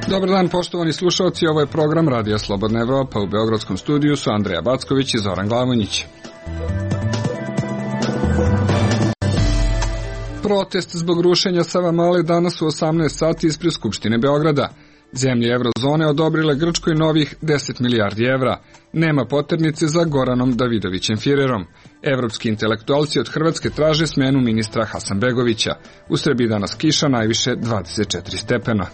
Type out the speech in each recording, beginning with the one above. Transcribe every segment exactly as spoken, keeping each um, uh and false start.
Dobar dan, poštovani slušalci, ovo je program Radija Slobodna Evropa. U beogradskom studiju su Andreja Backović i Zoran Glavonjić. Protest zbog rušenja Savamale danas u osamnaest sati ispred Skupštine Beograda. Zemlje Evrozone odobrile Grčkoj novih deset milijardi evra. Nema poternice za Goranom Davidovićem Firerom. Evropski intelektualci od Hrvatske traže smenu ministra Hasanbegovića. U Srbiji danas kiša, najviše dvadeset četiri stepena.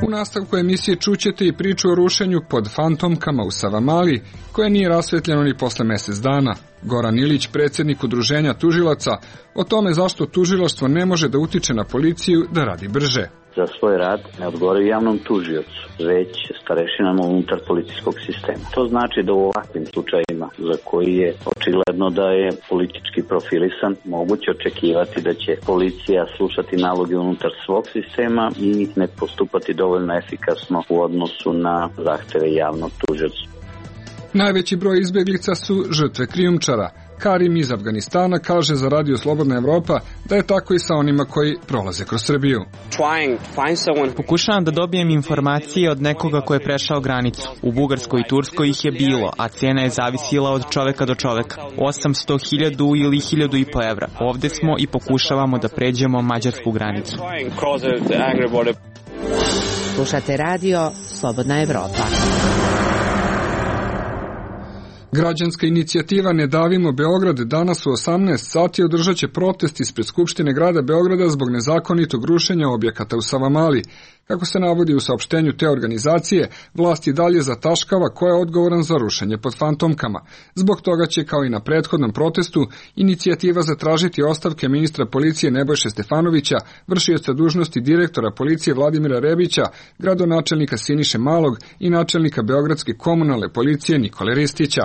U nastavku emisije čućete i priču o rušenju pod fantomkama u Savamali, koje nije rasvetljeno ni posle mesec dana. Goran Ilić, predsjednik udruženja tužilaca, o tome zašto tužilaštvo ne može da utiče na policiju da radi brže. Za svoj rad ne odgovaraju javnom tužiocu, već starešinama unutar policijskog sistema. To znači da u ovakvim slučajima, za koji je očigledno da je politički profilisan, moguće očekivati da će policija slušati naloge unutar svog sistema i ne postupati dovoljno efikasno u odnosu na zahteve javnog tužioca. Najveći broj izbjeglica su žrtve krijumčara. Karim iz Afganistana kaže za Radio Slobodna Evropa da je tako i sa onima koji prolaze kroz Srbiju. Pokušavam da dobijem informacije od nekoga ko je prešao granicu. U Bugarskoj i Turskoj ih je bilo, a cena je zavisila od čoveka do čoveka. osamsto hiljada ili hiljadu i po evra. Ovde smo i pokušavamo da pređemo mađarsku granicu. Slušate Radio Slobodna Evropa. Građanska inicijativa Ne davimo Beograd danas u osamnaest sati održat će protest ispred Skupštine grada Beograda zbog nezakonitog rušenja objekata u Savamali. Kako se navodi u saopštenju te organizacije, vlast i dalje zataškava ko je odgovoran za rušenje pod fantomkama. Zbog toga će, kao i na prethodnom protestu, inicijativa zatražiti ostavke ministra policije Nebojše Stefanovića, vršioca dužnosti direktora policije Vladimira Rebića, gradonačelnika Siniše Malog i načelnika Beogradske komunalne policije Nikole Ristića.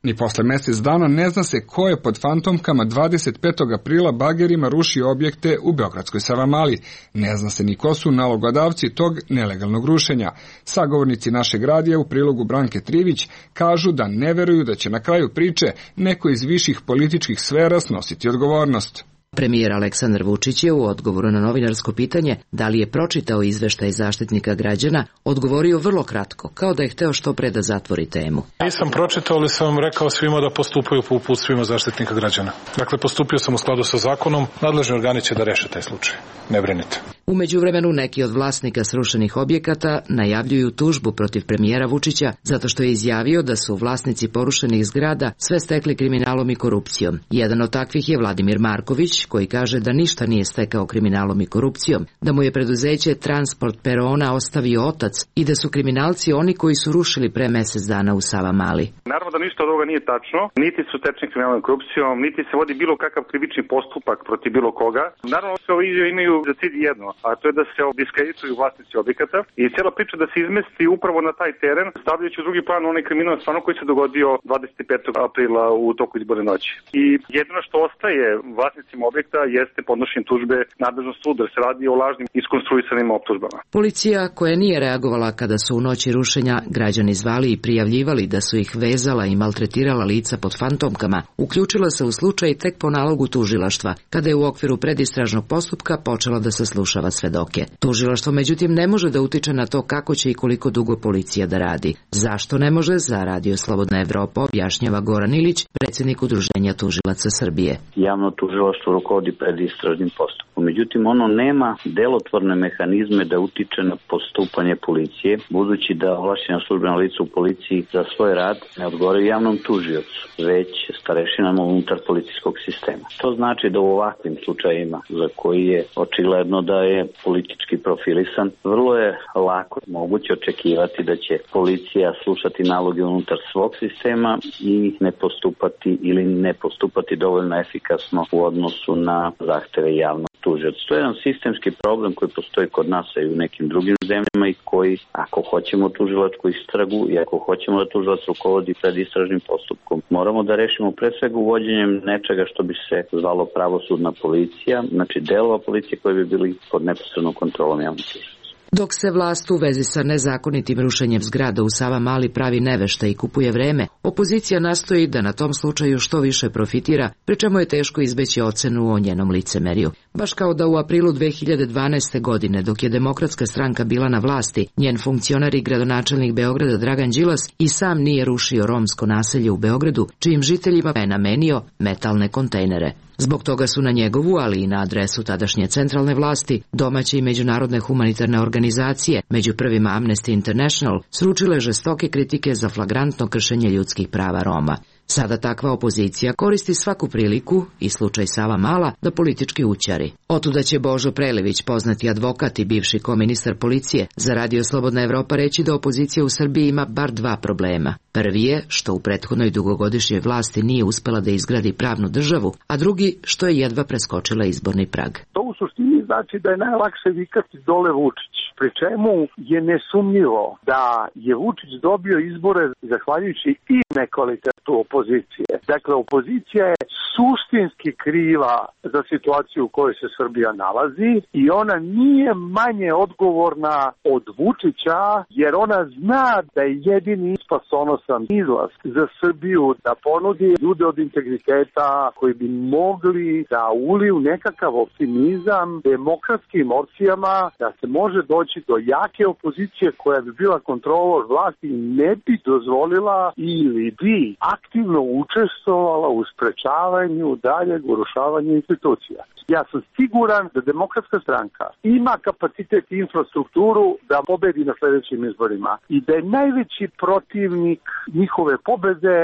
Ni posle mesec dana ne zna se ko je pod fantomkama dvadeset petog aprila bagerima rušio objekte u beogradskoj Savamali. Ne zna se ni ko su nalogodavci tog nelegalnog rušenja. Sagovornici našeg radija u prilogu Branke Trivić kažu da ne veruju da će na kraju priče neko iz viših političkih sfera snositi odgovornost. Premijer Aleksandar Vučić je u odgovoru na novinarsko pitanje da li je pročitao izveštaj Zaštitnika građana odgovorio vrlo kratko, kao da je hteo što pre da zatvori temu. Nisam pročitao, ali sam vam rekao svima da postupaju po uputstvima Zaštitnika građana. Dakle, postupio sam u skladu sa zakonom, nadležni organi će da reše taj slučaj. Ne brinite. U međuvremenu neki od vlasnika srušenih objekata najavljuju tužbu protiv premijera Vučića zato što je izjavio da su vlasnici porušenih zgrada sve stekli kriminalom i korupcijom. Jedan od takvih je Vladimir Marković, koji kaže da ništa nije stekao kriminalom i korupcijom, da mu je preduzeće Transport Perona ostavio otac i da su kriminalci oni koji su rušili pre mesec dana u Savamali. Naravno da ništa od ovoga nije tačno, niti su stečeni kriminalom i korupcijom, niti se vodi bilo kakav krivični postupak protiv bilo koga. Naravno sve ove izjave imaju za cilj jedno, a to je da se diskredituju vlasnici objekata i cijela priča da se izmesti upravo na taj teren, stavljajući u drugi plan onaj kriminal stvarno koji se dogodio dvadeset petog aprila u toku izborne noći. I jedino što ostaje vlasnicima objekta jeste podnošenje tužbe nadležnog suda, jer se radi o lažnim iskonstruisanim optužbama. Policija, koja nije reagovala kada su u noći rušenja građani zvali i prijavljivali da su ih vezala i maltretirala lica pod fantomkama, uključila se u slučaj tek po nalogu tužilaštva, kada je u okviru predistražnog postupka počela da saslušava svedoke. Tužilaštvo međutim ne može da utiče na to kako će i koliko dugo policija da radi. Zašto ne može, za Radio Slobodna Evropa objašnjava Goran Ilić, predsjednik Udruženja tužilaca Srbije. Javno tužilaštvo rukovodi predistražnim postupkom. Međutim, ono nema delotvorne mehanizme da utiče na postupanje policije, budući da ovlašćena službena lica u policiji za svoj rad ne odgovaraju javnom tužiocu, već starešinama unutar policijskog sistema. To znači da u ovakvim slučajima, za koji je očigledno da je politički profilisan, vrlo je lako moguće očekivati da će policija slušati naloge unutar svog sistema i ne postupati ili ne postupati dovoljno efikasno u odnosu odnosu na zahteve javnog tužioca. To je jedan sistemski problem koji postoji kod nas i u nekim drugim zemljama i koji, ako hoćemo tužilačku istragu i ako hoćemo da tužilac rukovodi pred istražnim postupkom, moramo da rešimo pre svega uvođenjem nečega što bi se zvalo pravosudna policija, znači delova policije koji bi bili pod neposrednom kontrolom javnog tužioca. Dok se vlast u vezi sa nezakonitim rušenjem zgrada u Savamali pravi nevešta i kupuje vreme, opozicija nastoji da na tom slučaju što više profitira, pri čemu je teško izbeći ocenu o njenom licemerju. Baš kao da u aprilu dve hiljade dvanaeste. godine, dok je Demokratska stranka bila na vlasti, njen funkcionar i gradonačelnik Beograda Dragan Đilas i sam nije rušio romsko naselje u Beogradu, čijim žiteljima je namenio metalne kontejnere. Zbog toga su na njegovu, ali i na adresu tadašnje centralne vlasti, domaće i međunarodne humanitarne organizacije, među prvima Amnesty International, sručile žestoke kritike za flagrantno kršenje ljudskih prava Roma. Sada takva opozicija koristi svaku priliku, i slučaj Savamala, da politički ućari. Otuda će Božo Prelević, poznati advokat i bivši koministar policije, za Radio Slobodna Evropa reći da opozicija u Srbiji ima bar dva problema. Prvi je što u prethodnoj dugogodišnjoj vlasti nije uspela da izgradi pravnu državu, a drugi što je jedva preskočila izborni prag. To u suštini znači da je najlakše vikati dole Vučić, pri čemu je nesumnjivo da je Vučić dobio izbore zahvaljujući i nekvalitetu opozicije. Dakle, opozicija je suštinski kriva za situaciju u kojoj se Srbija nalazi i ona nije manje odgovorna od Vučića, jer ona zna da je jedini spasonosan izlaz za Srbiju da ponudi ljude od integriteta koji bi mogli da uliju nekakav optimizam demokratskim opcijama, da se može doći do jake opozicije koja bi bila kontrolor vlasti i ne bi dozvolila ili bi aktivno učestvovala u sprečavanju daljeg urušavanja institucija. Ja sam siguran da Demokratska stranka ima kapacitet i infrastrukturu da pobedi na sljedećim izborima i da je najveći protivnik njihove pobede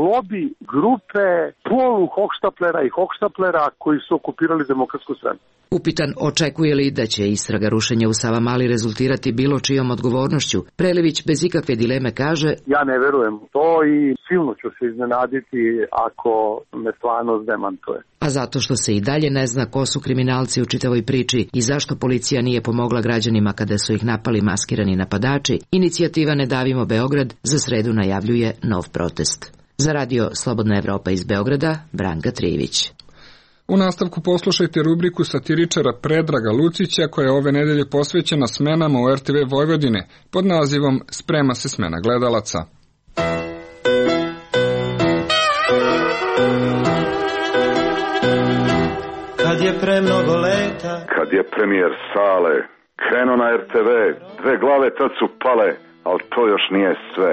lobi grupe polu hohštaplera i hohštaplera koji su okupirali Demokratsku stranku. Upitan očekuje li da će istraga rušenja u Savamali rezultirati bilo čijom odgovornošću, Prelević bez ikakve dileme kaže: ja ne verujem u to i silno ću se iznenaditi ako me stvarnost demantuje. A zato što se i dalje ne zna ko su kriminalci u čitavoj priči i zašto policija nije pomogla građanima kada su ih napali maskirani napadači, inicijativa Ne davimo Beograd za sredu najavljuje nov protest. Za Radio Slobodna Evropa iz Beograda, Branka Trivić. U nastavku poslušajte rubriku satiričara Predraga Lucića koja je ove nedelje posvećena smenama u er te ve Vojvodine pod nazivom Sprema se smena gledalaca. Kad je pre mnogo leta, kad je premijer Sale krenuo na er te ve, dve glave tad su pale, ali to još nije sve.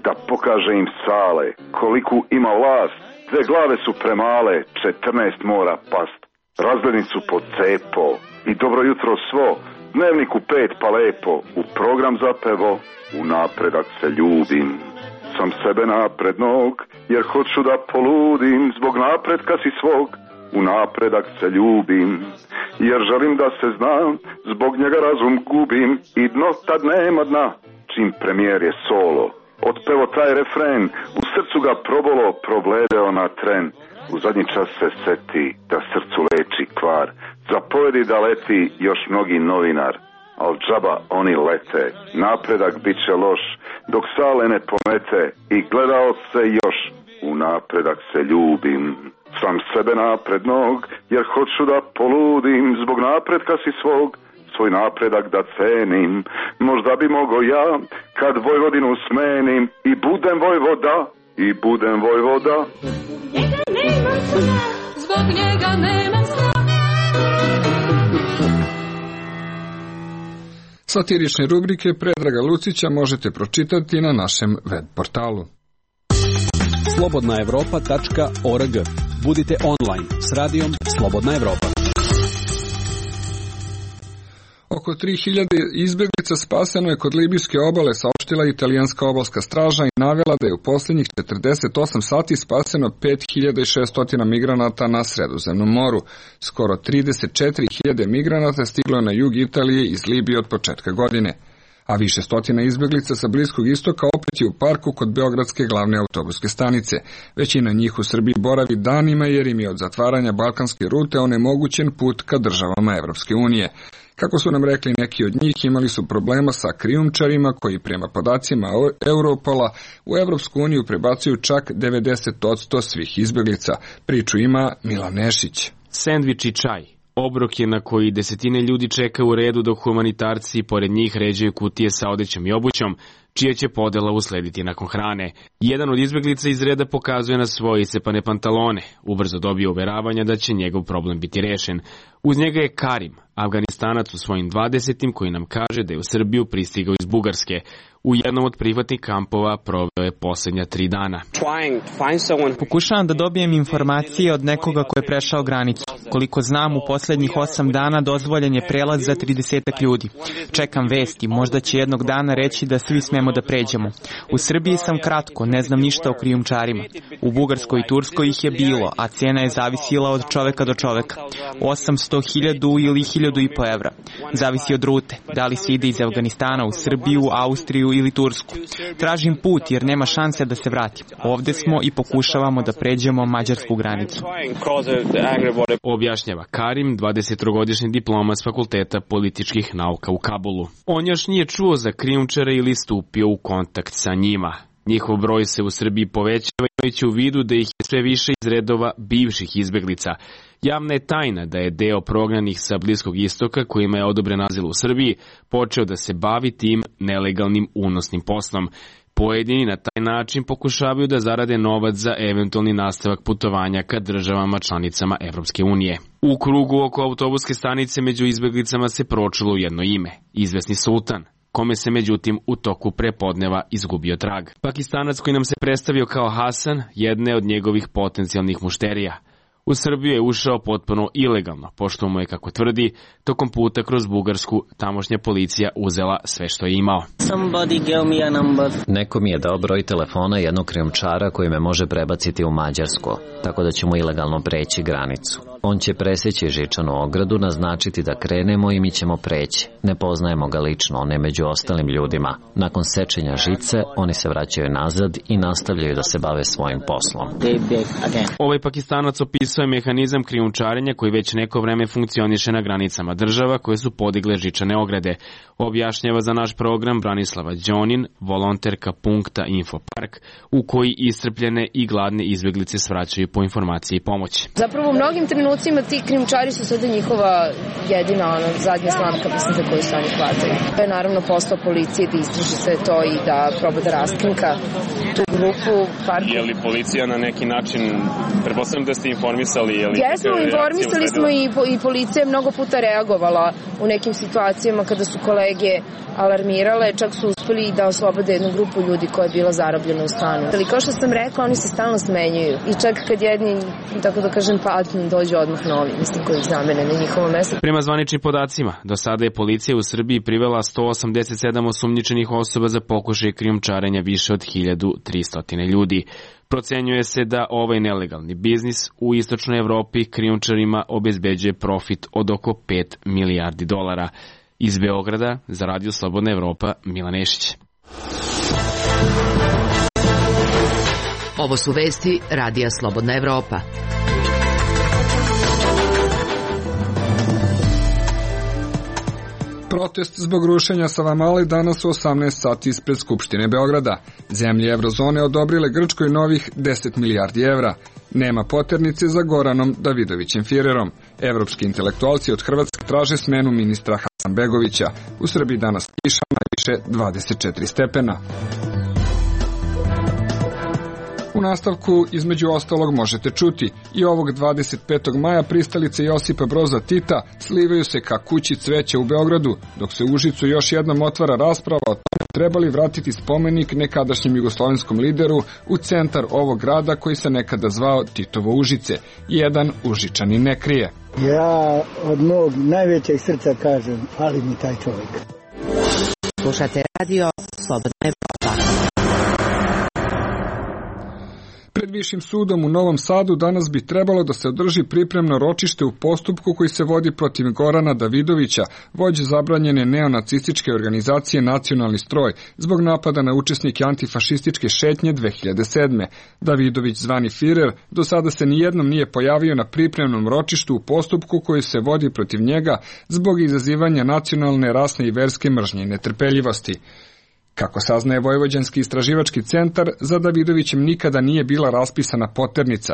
Da pokaže im Sale koliku ima vlast, dve glave su premale, četrnaest mora past. Razglednicu su pod cepo i dobro jutro svo, dnevniku pet pa lepo, u program zapevo, u napredak se ljubim. Sam sebe naprednog, jer hoću da poludim, zbog napretka si svog, u napredak se ljubim. Jer želim da se znam, zbog njega razum gubim, i dno tad nema dna, čim premijer je solo. Otpevo taj refren, u srcu ga probolo, provledeo na tren. U zadnji čas se seti da srcu leči kvar, zapovedi da leti još mnogi novinar. Al džaba oni lete, napredak bit će loš, dok Sale ne pomete i gledao se još, u napredak se ljubim. Sam sebe naprednog, jer hoću da poludim, zbog napretka si svog, svoj napredak da cenim. Možda bi mogo ja, kad Vojvodinu smenim, i budem vojvoda, i budem vojvoda. Njega nemam sna, zbog njega nemam sna. Satirične rubrike Predraga Lucića možete pročitati na našem web portalu. slobodna evropa tačka org. Budite online s radijom Slobodna Evropa. Oko tri hiljade izbeglica spaseno je kod libijske obale, saopštila italijanska obalska straža i navela da je u posljednjih četrdeset osam sati spaseno pet hiljada šesto migranata na Sredozemnom moru. Skoro trideset četiri hiljade migranata stiglo je na jug Italije iz Libije od početka godine. a više stotina izbjeglica sa Bliskog istoka opet je u parku kod beogradske glavne autobuske stanice. Većina njih u Srbiji boravi danima jer im je od zatvaranja balkanske rute onemogućen put ka državama Evropske unije. Kako su nam rekli, neki od njih imali su problema sa krijumčarima koji prema podacima Europola u Evropsku uniju prebacuju čak devedeset posto svih izbjeglica. Priču ima Milan Nešić. Sendvič i čaj. Obrok je na koji desetine ljudi čeka u redu dok humanitarci pored njih ređaju kutije sa odećom i obućom, čija će podela uslediti nakon hrane. Jedan od izbjeglica iz reda pokazuje na svoje iscepane pantalone. Ubrzo dobije uveravanja da će njegov problem biti rešen. Uz njega je Karim, Afganistanac u svojim dvadesetim, koji nam kaže da je u Srbiju pristigao iz Bugarske. U jednom od prihvatnih kampova proveo je posljednja tri dana. Pokušavam da dobijem informacije od nekoga ko je prešao granicu. Koliko znam, u posljednjih osam dana dozvoljen je prelaz za tridesetak ljudi. Čekam vesti, možda će jednog dana reći da svi smemo da pređemo. U Srbiji sam kratko, ne znam ništa o krijumčarima. U Bugarskoj i Turskoj ih je bilo, a cena je zavisila od čoveka do čoveka. osamsto hiljada ili hiljadu i po evra. Zavisi od rute, da li se ide iz Afganistana u Srbiju, Austriju ili Tursku. Tražim put jer nema šanse da se vratim. Ovde smo i pokušavamo da pređemo mađarsku granicu. Objašnjava Karim, dvadesettrogodišnji diploma s Fakulteta političkih nauka u Kabulu. On još nije čuo za krijumčare ili stupio u kontakt sa njima. Njihov broj se u Srbiji povećava imajući u vidu da ih je sve više iz redova bivših izbeglica. Javna je tajna da je deo prognanih sa Bliskog istoka, kojima je odobren azil u Srbiji, počeo da se bavi tim nelegalnim unosnim poslom. Pojedini na taj način pokušavaju da zarade novac za eventualni nastavak putovanja ka državama članicama Evropske unije. U krugu oko autobuske stanice među izbeglicama se pročulo jedno ime, izvesni Sultan, kome se međutim u toku prepodneva izgubio trag. Pakistanac koji nam se predstavio kao Hasan, jedne od njegovih potencijalnih mušterija. U Srbiju je ušao potpuno ilegalno, pošto mu je, kako tvrdi, tokom puta kroz Bugarsku tamošnja policija uzela sve što je imao. Neko mi je dao broj telefona jednog krijumčara koji me može prebaciti u Mađarsku, tako da ćemo ilegalno preći granicu. On će preseći žičanu ogradu, naznačiti da krenemo i mi ćemo preći. Ne poznajemo ga lično, on je među ostalim ljudima. Nakon sečenja žice, oni se vraćaju nazad i nastavljaju da se bave svojim poslom. Ovaj Pakistanac opisuje mehanizam krijumčarenja koji već neko vreme funkcioniše na granicama država koje su podigle žičane ograde. Objašnjava za naš program Branislava Đonin, volonterka punkta Infopark, u koji iscrpljene i gladne izbjeglice svraćaju po informacije i pomoći. Zapravo u mnogim trenucima ti krijumčari su sada njihova jedina ono, zadnja slamka, mislim, za koju se oni hvataju. To je naravno posao policije da istraži sve to i da proba da raskrinka tu grupu. Parku. Je li policija na neki način, pretpostavljam da ste informisali? Je li Jesmo, informisali smo i, i policija je mnogo puta reagovala u nekim situacijama kada su kolege alarmirale, čak su uspeli da oslobode jednu grupu ljudi koja je bila zarobljena u stanu. Ali kao što sam rekla, oni se stalno smenjuju i čak kad jedni, tako da kažem, padnu, dođu odmah novi, mislim, koji ih zamene na njihovo mesto. Prema zvaničnim podacima, do sada je policija u Srbiji privela sto osamdeset sedam osumnjičenih osoba za pokušaj krijumčarenja više od hiljadu tristo ljudi. Procenjuje se da ovaj nelegalni biznis u istočnoj Evropi krijumčarima obezbeđuje profit od oko pet milijardi dolara. Iz Beograda za Radio Slobodna Evropa, Milan Nešić. Ovo su vesti Radija Slobodna Evropa. Protest zbog rušenja Savamale danas u osamnaest sati ispred Skupštine Beograda. Zemlje Evrozone odobrile Grčkoj novih deset milijardi evra. Nema poternice za Goranom Davidovićem Firerom. Evropski intelektualci od Hrvatske traže smenu ministra Hasanbegovića. U Srbiji danas kiša, najviše dvadeset četiri stepena. U nastavku, između ostalog, možete čuti i ovog dvadeset petog maja pristalice Josipa Broza Tita slivaju se ka kući cveća u Beogradu, dok se u Užicu još jednom otvara rasprava o tome trebali vratiti spomenik nekadašnjem jugoslovenskom lideru u centar ovog grada koji se nekada zvao Titovo Užice. Jedan Užičani ne krije. Ja od mog najvećeg srca kažem, fali mi taj čovjek. Slušate radio Slobodna Evropa. Višim sudom u Novom Sadu danas bi trebalo da se održi pripremno ročište u postupku koji se vodi protiv Gorana Davidovića, vođe zabranjene neonacističke organizacije Nacionalni stroj, zbog napada na učesnike antifašističke šetnje dve hiljade sedme. Davidović, zvani Firer, do sada se nijednom nije pojavio na pripremnom ročištu u postupku koji se vodi protiv njega zbog izazivanja nacionalne, rasne i verske mržnje i netrpeljivosti. Kako saznaje Vojvođanski istraživački centar, za Davidovićem nikada nije bila raspisana poternica.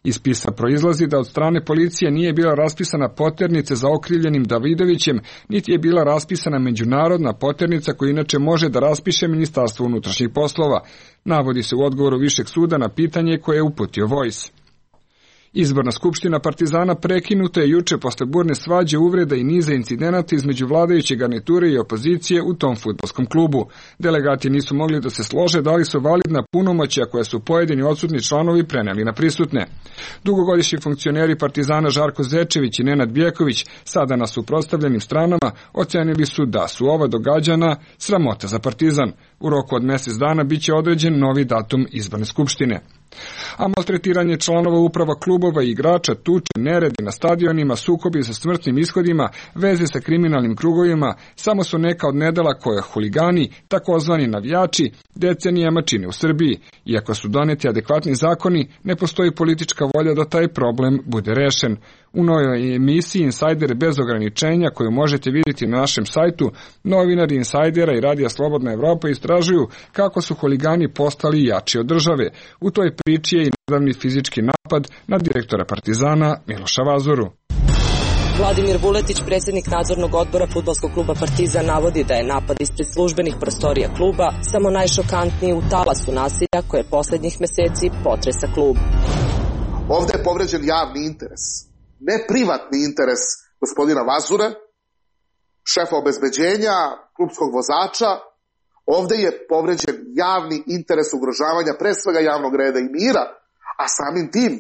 Iz spisa proizlazi da od strane policije nije bila raspisana poternica za okrivljenim Davidovićem, niti je bila raspisana međunarodna poternica koju inače može da raspiše Ministarstvo unutrašnjih poslova. Navodi se u odgovoru Višeg suda na pitanje koje je uputio Vojs. Izborna skupština Partizana prekinuta je juče posle burne svađe, uvreda i niza incidenata između vladajuće garniture i opozicije u tom fudbalskom klubu. Delegati nisu mogli da se slože da li su validna punomoćja koja su pojedini odsutni članovi preneli na prisutne. Dugogodišnji funkcioneri Partizana Žarko Zečević i Nenad Bjeković, sada na suprotstavljenim stranama, ocenili su da su ova događanja sramota za Partizan. U roku od mjesec dana biće određen novi datum izborne skupštine. A maltretiranje članova uprava klubova i igrača, tuče, neredi na stadionima, sukobi sa smrtnim ishodima, veze sa kriminalnim krugovima, samo su neka od nedela koje huligani, takozvani navijači, decenijama čine u Srbiji. Iako su doneti adekvatni zakoni, ne postoji politička volja da taj problem bude rešen. U novoj emisiji Insider bez ograničenja, koju možete vidjeti na našem sajtu, novinari Insajdera i Radija Slobodna Evropa istražuju kako su huligani postali jači od države. U toj priči je i nedavni fizički napad na direktora Partizana Miloša Vazoru. Vladimir Vuletić, predsjednik nadzornog odbora fudbalskog kluba Partizan, navodi da je napad ispred službenih prostorija kluba samo najšokantniji u talasu nasilja koje poslednjih meseci potresa klub. Ovde je povređen javni interes, ne privatni interes gospodina Vazure, šefa obezbeđenja, klubskog vozača. Ovde je povređen javni interes ugrožavanja pre svega javnog reda i mira, a samim tim,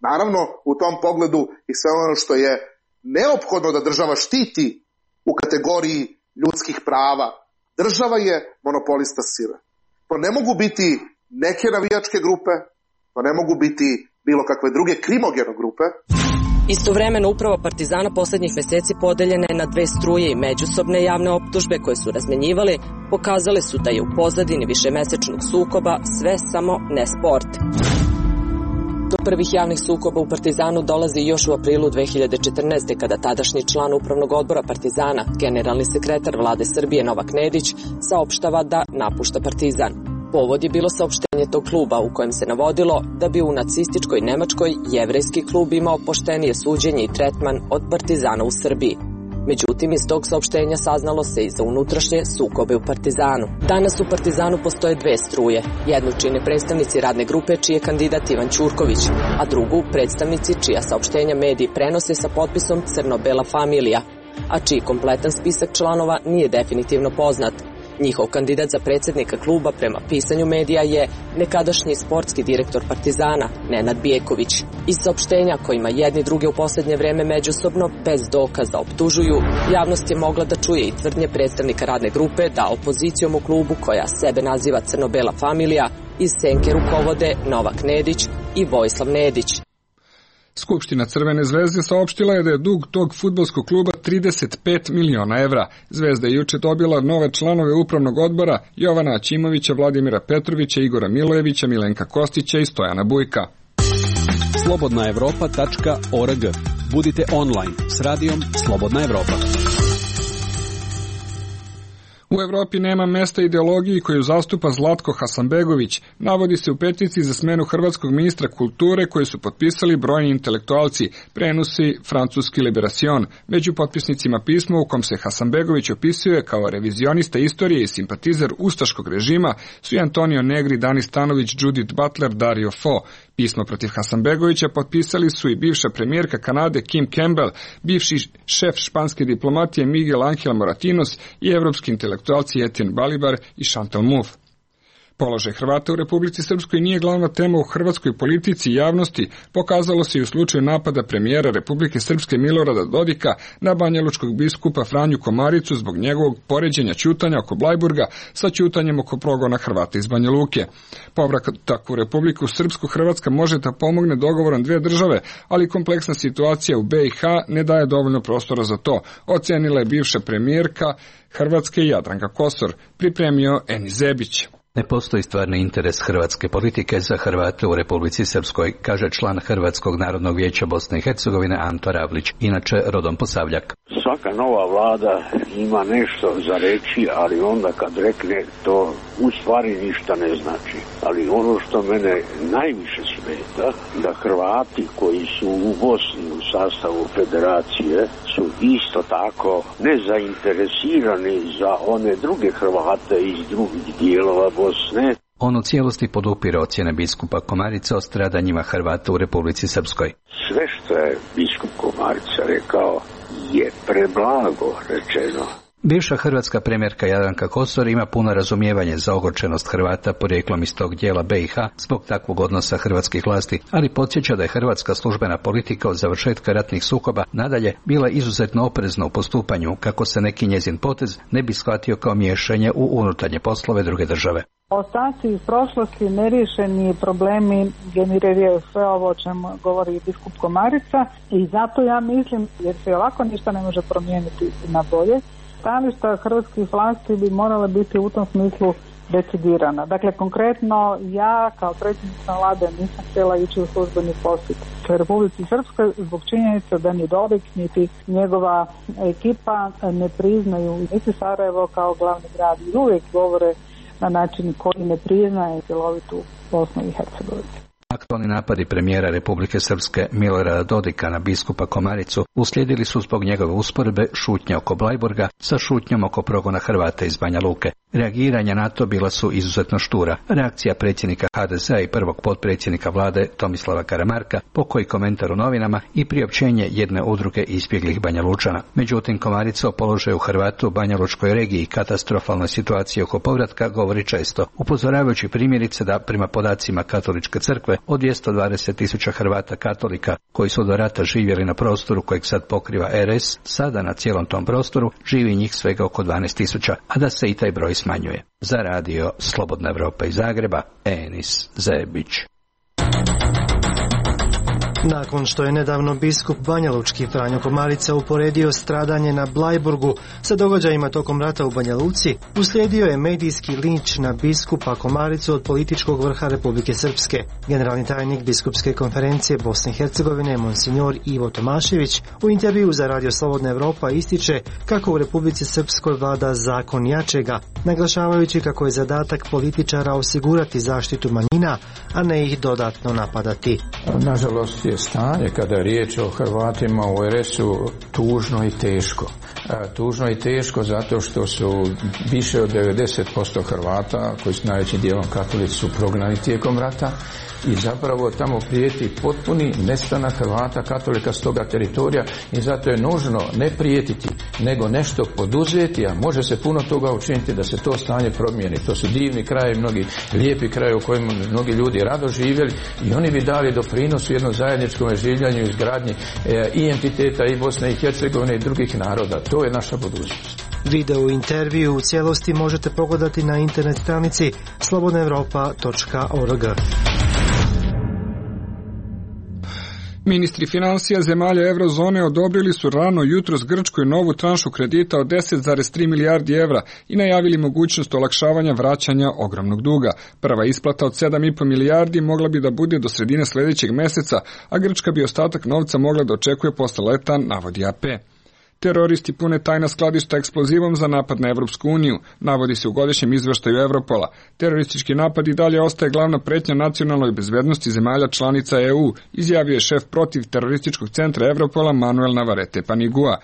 naravno, u tom pogledu i sve ono što je neophodno da država štiti u kategoriji ljudskih prava. Država je monopolista sile. To ne mogu biti neke navijačke grupe, to ne mogu biti bilo kakve druge krimogene grupe. Istovremeno uprava Partizana poslednjih meseci podeljena je na dve struje i međusobne javne optužbe koje su razmenjivali pokazale su da je u pozadini višemesečnog sukoba sve samo ne sport. Do prvih javnih sukoba u Partizanu dolazi još u aprilu dve hiljade četrnaeste. kada tadašnji član upravnog odbora Partizana, generalni sekretar vlade Srbije Novak Nedić, saopštava da napušta Partizan. Povod je bilo saopštenje tog kluba u kojem se navodilo da bi u nacističkoj Nemačkoj jevrejski klub imao poštenije suđenje i tretman od Partizana u Srbiji. Međutim, iz tog saopštenja saznalo se i za unutrašnje sukobe u Partizanu. Danas u Partizanu postoje dve struje. Jednu čine predstavnici radne grupe čiji je kandidat Ivan Ćurković, a drugu predstavnici čija saopštenja mediji prenose sa potpisom Crno-bela familija, a čiji kompletan spisak članova nije definitivno poznat. Njihov kandidat za predsjednika kluba prema pisanju medija je nekadašnji sportski direktor Partizana, Nenad Bjeković. Iz saopštenja kojima jedni druge u posljednje vreme međusobno bez dokaza optužuju, javnost je mogla da čuje i tvrdnje predstavnika radne grupe da opozicijom u klubu, koja sebe naziva Crno-bela familija, iz senke rukovode Novak Nedić i Vojislav Nedić. Skupština Crvene zvezde saopštila je da je dug tog fudbalskog kluba trideset pet miliona evra. Zvezda je juče dobila nove članove upravnog odbora Jovana Aćimovića, Vladimira Petrovića, Igora Milojevića, Milenka Kostića i Stojana Bujka. slobodna evropa tačka org. Budite online s radijom Slobodna Evropa. U Evropi nema mesta ideologiji koju zastupa Zlatko Hasanbegović, navodi se u peticiji za smenu hrvatskog ministra kulture koju su potpisali brojni intelektualci, prenosi francuski Liberation. Među potpisnicima pisma u kom se Hasanbegović opisuje kao revizionista istorije i simpatizer ustaškog režima su i Antonio Negri, Dani Stanović, Judith Butler, Dario Fo. Pismo protiv Hasanbegovića potpisali su i bivša premijerka Kanade Kim Campbell, bivši šef španske diplomatije Miguel Ángel Moratinos i evropski intelektualci Etienne Balibar i Chantal Mouffe. Položaj Hrvata u Republici Srpskoj nije glavna tema u hrvatskoj politici i javnosti, pokazalo se i u slučaju napada premijera Republike Srpske Milorada Dodika na banjalučkog biskupa Franju Komaricu zbog njegovog poređenja ćutanja oko Blajburga sa ćutanjem oko progona Hrvata iz Banja Luke. Povratak u Republiku Srpsku Hrvatska može da pomogne dogovorom dve države, ali kompleksna situacija u B i H ne daje dovoljno prostora za to, ocenila je bivša premijerka Hrvatske Jadranka Kosor, pripremio Eni Zebić. Ne postoji stvarni interes hrvatske politike za Hrvate u Republici Srpskoj, kaže član Hrvatskog narodnog vijeća Bosne i Hercegovine Anto Ravlić, inače rodom Posavljak. Svaka nova vlada ima nešto za reći, ali onda kad rekne to u stvari ništa ne znači. Ali ono što mene najviše smeta, da Hrvati koji su u Bosni u sastavu federacije su isto tako nezainteresirani za one druge Hrvate iz drugih dijelova Bosne. On u cijelosti podupire ocjene biskupa Komarica o stradanjima Hrvata u Republici Srpskoj. Sve što je biskup Komarica rekao je preblago rečeno. Bivša hrvatska premijerka Jadranka Kosor ima puno razumijevanje za ogorčenost Hrvata porijeklom iz tog dijela B i H zbog takvog odnosa hrvatskih vlasti, ali podsjeća da je hrvatska službena politika od završetka ratnih sukoba nadalje bila izuzetno oprezna u postupanju, kako se neki njezin potez ne bi shvatio kao miješanje u unutarnje poslove druge države. Ostaci iz prošlosti, neriješeni problemi generiraju sve ovo o čemu govori biskup Komarica i zato ja mislim, jer se ovako ništa ne može promijeniti na bolje, stajališta hrvatskih vlasti bi morala biti u tom smislu decidirana. Dakle, konkretno ja kao predsjednica vlade nisam htjela ići u službeni posjet u Republici Srpskoj zbog činjenica da ni Dodik niti njegova ekipa ne priznaju niti Sarajevo kao glavni grad i uvijek govore na način koji ne priznaje cjelovitu Bosnu i Hercegovinu. Aktualni napadi premijera Republike Srpske Milorada Dodika na biskupa Komaricu uslijedili su zbog njegove usporedbe šutnje oko Blajburga sa šutnjom oko progona Hrvata iz Banja Luke. Reagiranja na to bila su izuzetno štura. Reakcija predsjednika H D Z-a i prvog potpredsjednika vlade Tomislava Karamarka, pokoji komentar u novinama i priopćenje jedne udruge izbjeglih Banja Lučana. Međutim, Komarica o položaju Hrvata u Banja Lučkoj regiji i katastrofalnoj situaciji oko povratka govori često, upozoravajući primjerice da prema podacima Katoličke crkve od dvjesto dvadeset tisuća Hrvata katolika koji su do rata živjeli na prostoru kojeg sad pokriva R S, sada na cijelom tom prostoru živi njih svega oko dvanaest tisuća, a da se i taj broj smanjuje. Za radio Slobodna Evropa iz Zagreba, Enis Zebić. Nakon što je nedavno biskup banjalučki Franjo Komarica uporedio stradanje na Blajburgu sa događajima tokom rata u Banja Luci, uslijedio je medijski linč na biskupa Komaricu od političkog vrha Republike Srpske. Generalni tajnik biskupske konferencije Bosne i Hercegovine, monsignor Ivo Tomašević, u intervju za radio Slobodna Evropa ističe kako u Republici Srpskoj vlada zakon jačega, naglašavajući kako je zadatak političara osigurati zaštitu manjina, a ne ih dodatno napadati. Nažalost je stanje kada je riječ o Hrvatima u R S-u tužno i teško. Tužno i teško zato što su više od devedeset posto Hrvata, koji su najvećim dijelom katolici, su prognani tijekom rata i zapravo tamo prijeti potpuni nestanak Hrvata katolika s toga teritorija i zato je nužno ne prijetiti, nego nešto poduzeti, a može se puno toga učiniti da se to stanje promijeni. To su divni krajevi, mnogi lijepi krajevi u kojima mnogi ljudi rado živjeli i oni bi dali doprinos u jednom zajedničkom življenju i izgradnji e, i entiteta i Bosne i Hercegovine i drugih naroda. To je naša budućnost. Video intervju u cijelosti možete pogledati na internet stranici slobodna evropa točka org. Ministri financija zemalja eurozone odobrili su rano jutros Grčkoj novu tranšu kredita od deset zarez tri milijardi evra i najavili mogućnost olakšavanja vraćanja ogromnog duga. Prva isplata od sedam i po milijardi mogla bi da bude do sredine sljedećeg mjeseca, a Grčka bi ostatak novca mogla da očekuje posle leta, navodi A P. Teroristi pune tajna skladišta eksplozivom za napad na Evropsku uniju, navodi se u godišnjem izveštaju Evropola. Teroristički napad i dalje ostaje glavna pretnja nacionalnoj bezbednosti zemalja članica E U, izjavio je šef protiv terorističkog centra Evropola Manuel Navarrete Panigua.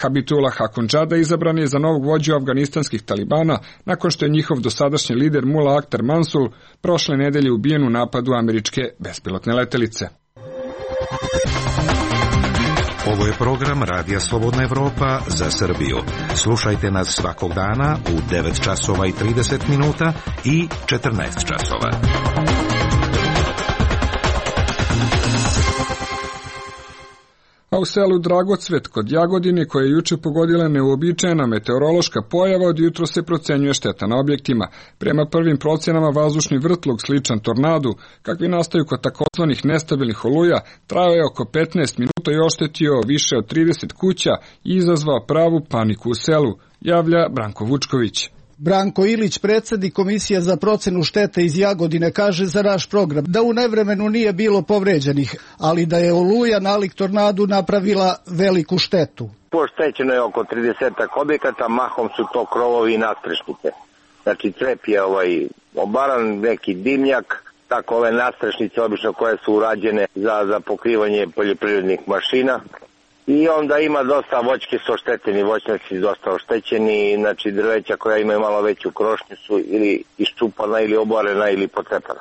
Habitullah Hakundžada izabran je za novog vođu afganistanskih talibana nakon što je njihov dosadašnji lider Mullah Akhtar Mansur prošle nedelje ubijen u napadu američke bespilotne letelice. Ovo je program Radija Slobodna Evropa za Srbiju. Slušajte nas svakog dana u devet časova i trideset minuta i četrnaest časova. A u selu Dragocvet kod Jagodine, koje je juče pogodila neuobičajena meteorološka pojava, od jutro se procenjuje šteta na objektima. Prema prvim procenama, vazdušni vrtlog sličan tornadu, kakvi nastaju kod takozvanih nestabilnih oluja, trajao je oko petnaest minuta i oštetio više od trideset kuća i izazvao pravu paniku u selu, javlja Branko Vučković. Branko Ilić, predsjednik Komisije za procenu štete iz Jagodine, kaže za naš program da u nevremenu nije bilo povređenih, ali da je oluja nalik tornadu napravila veliku štetu. Poštećeno je oko tridesetak objekata, mahom su to krovovi i nadstrešnice. Znači crep je ovaj obaran, neki dimnjak, tako ove nadstrešnice obično koje su urađene za, za pokrivanje poljoprivrednih mašina. I onda ima dosta voćke su ošteteni, voćnjaci dosta oštećeni, znači drveća koja imaju malo veću krošnju su ili iščupana ili oborena ili pocepana.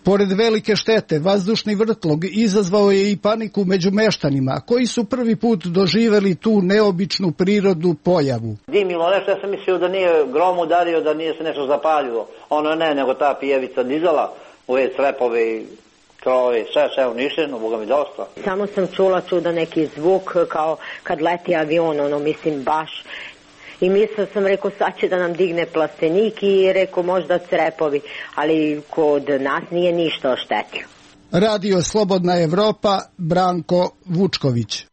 Pored velike štete, vazdušni vrtlog izazvao je i paniku među meštanima, koji su prvi put doživeli tu neobičnu prirodnu pojavu. Dimilo nešto, ja sam mislio da nije grom udario, da nije se nešto zapaljilo. Ono ne, nego ta pijevica dizala, ove slepove i krove, sve, sve uništeno, Boga mi dosta. Samo sam čula čuda neki zvuk kao kad leti avion, ono mislim baš. I mislio sam, rekao, sad će da nam digne plastenik i rekao možda crepovi, ali kod nas nije ništa oštetio. Radio Slobodna Evropa, Branko Vučković.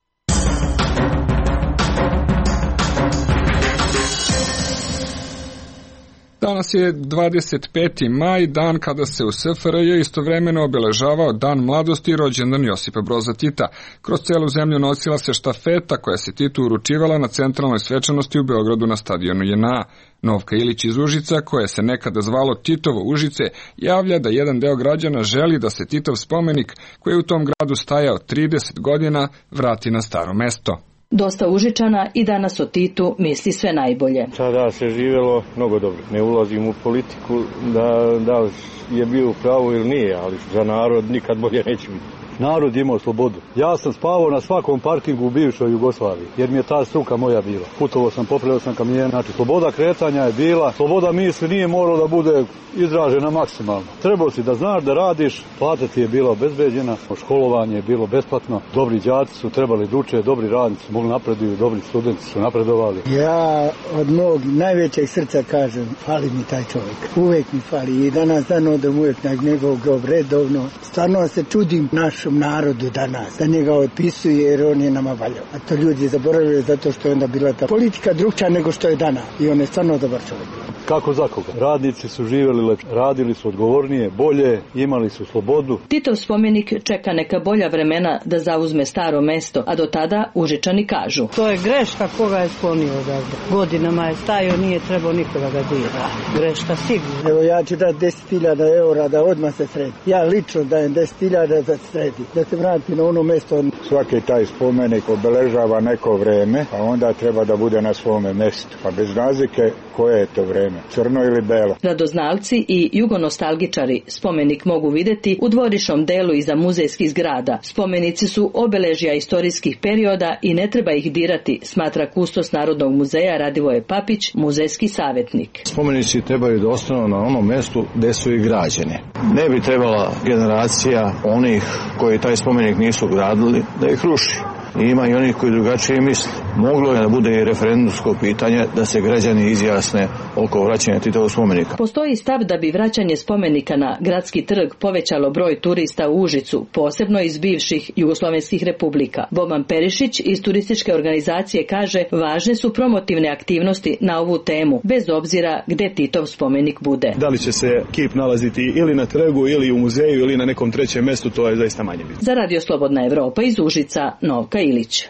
Danas je dvadeset peti maj, dan kada se u S F R J istovremeno obeležavao Dan mladosti i rođendan Josipa Broza Tita. Kroz celu zemlju nosila se štafeta koja se Titu uručivala na centralnoj svečanosti u Beogradu na stadionu J N A. Novka Ilić iz Užica, koje se nekada zvalo Titovo Užice, javlja da jedan deo građana želi da se Titov spomenik, koji je u tom gradu stajao trideset godina, vrati na staro mesto. Dosta Užičana i danas o Titu misli sve najbolje. Sada se živjelo mnogo dobro. Ne ulazim u politiku da, da je bio u pravu ili nije, ali za narod nikad bolje neće biti. Narod imao slobodu. Ja sam spavao na svakom parkingu u bivšoj Jugoslaviji, jer mi je ta struka moja bila. Putovao sam, popravljao sam kamion. Znači, sloboda kretanja je bila, sloboda misli nije morala da bude izražena maksimalno. Trebao si da znaš da radiš, plata ti je bila obezbeđena, školovanje je bilo besplatno, dobri đaci su trebali da uče, dobri radnici mogli napreduju, dobri studenti su napredovali. Ja od mog najvećeg srca kažem, fali mi taj čovjek. Uvek mi fali i danas dan odem uvek na njegov grob redovno. Stvarno se čudim naš narodu danas, da njega otpisuje jer on je nama valjao. A to ljudi zaboravljaju zato što je onda bila ta politika drugčija nego što je dana i on je stvarno dobar čovjek. Kako za koga? Radnici su živjeli lepše, radili su odgovornije, bolje, imali su slobodu. Titov spomenik čeka neka bolja vremena da zauzme staro mesto, a do tada Užičani kažu. To je greška koga je sklonio odavde. Godinama je stajao, nije trebao nikoga ga dira. Greška sigurno. Evo ja ću dati deset hiljada eura da odmah se sredi. Ja lično dajem deset hiljada da se sredi. Da se vrati na ono mesto. Svaki taj spomenik obeležava neko vreme, a onda treba da bude na svome mestu. Pa bez razlike koje je to vreme, crno ili belo. Radoznalci i jugonostalgičari spomenik mogu videti u dvorišnom delu iza muzejskih zgrada. Spomenici su obeležja istorijskih perioda i ne treba ih dirati, smatra kustos Narodnog muzeja Radivoje Papić, muzejski savjetnik. Spomenici trebaju da ostanu na onom mestu gde su i građeni. Ne bi trebala generacija onih koji taj spomenik nisu gradili da ih ruši. I ima i onih koji drugačije misle. Moglo je da bude i referendumsko pitanje da se građani izjasne oko vraćanja Titovog spomenika. Postoji stav da bi vraćanje spomenika na gradski trg povećalo broj turista u Užicu, posebno iz bivših jugoslovenskih republika. Boban Perišić iz turističke organizacije kaže važne su promotivne aktivnosti na ovu temu, bez obzira gde Titov spomenik bude. Da li će se kip nalaziti ili na trgu ili u muzeju ili na nekom trećem mestu, to je zaista manje bitno. Za Radio Slobodna Evropa iz Užica, Novka Ilić.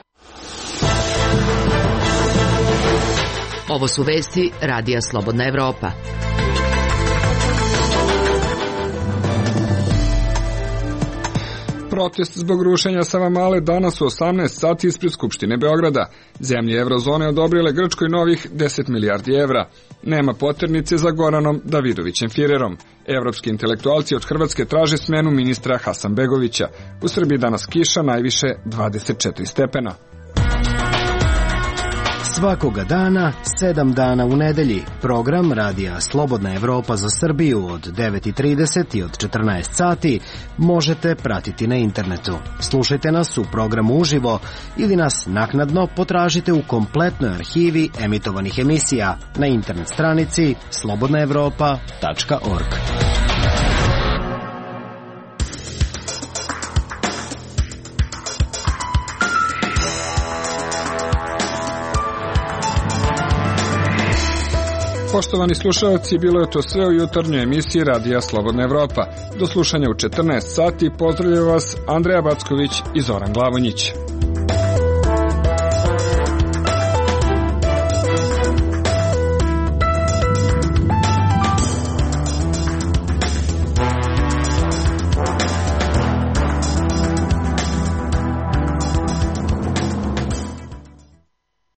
Ovo su vesti Radija Slobodna Evropa. Protest zbog rušenja Savamale danas u osamnaest sati ispred Skupštine Beograda. Zemlje Evrozone odobrile Grčkoj novih deset milijardi evra. Nema poternice za Goranom Davidovićem Firerom. Evropski intelektualci od Hrvatske traže smenu ministra Hasanbegovića. U Srbiji danas kiša, najviše dvadeset četiri stepena. Svakoga dana, sedam dana u nedelji, program Radija Slobodna Evropa za Srbiju od devet i trideset i od četrnaest sati možete pratiti na internetu. Slušajte nas u programu uživo ili nas naknadno potražite u kompletnoj arhivi emitovanih emisija na internet stranici slobodna evropa tačka org. Poštovani slušalci, bilo je to sve u jutarnjoj emisiji Radija Slobodna Evropa. Do slušanja u četrnaest sati pozdravljaju vas Andreja Backović i Zoran Glavonjić.